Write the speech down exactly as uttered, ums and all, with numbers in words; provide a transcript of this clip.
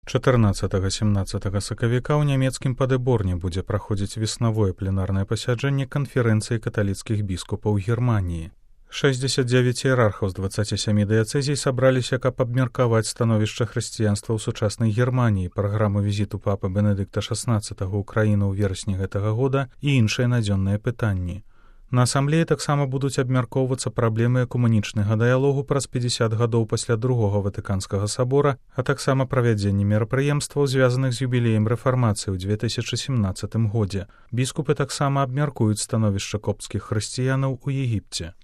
чатырнаццатага-сямнаццатага сакавіка ў нямецкім Падэборне будзе праходзіць веснавое пленарнае пасяджэнне канферэнцыі каталіцкіх біскупаў Германіі. шэсцьдзесят дзевяць іерархаў з дваццаці сямі дыяцэзій сабраліся, каб абмеркаваць становішча хрысціянства ў сучаснай Германіі, праграму візіту папы Бенедыкта шаснаццатага ў краіну ў верасні гэтага года і іншыя надзённыя пытанні. На асамблеі таксама будуць абмяркоўвацца праблемы экумэнічнага дыялогу праз пяцьдзясят гадоў пасля другога Ватыканскага сабора, а таксама правядзенне мерапрыемстваў, звязаных з юбілеем рэфармацыі ў дзве тысячы сямнаццатым годзе. Біскупы таксама абмяркуюць становішча копцкіх хрысціянаў у Егіпце.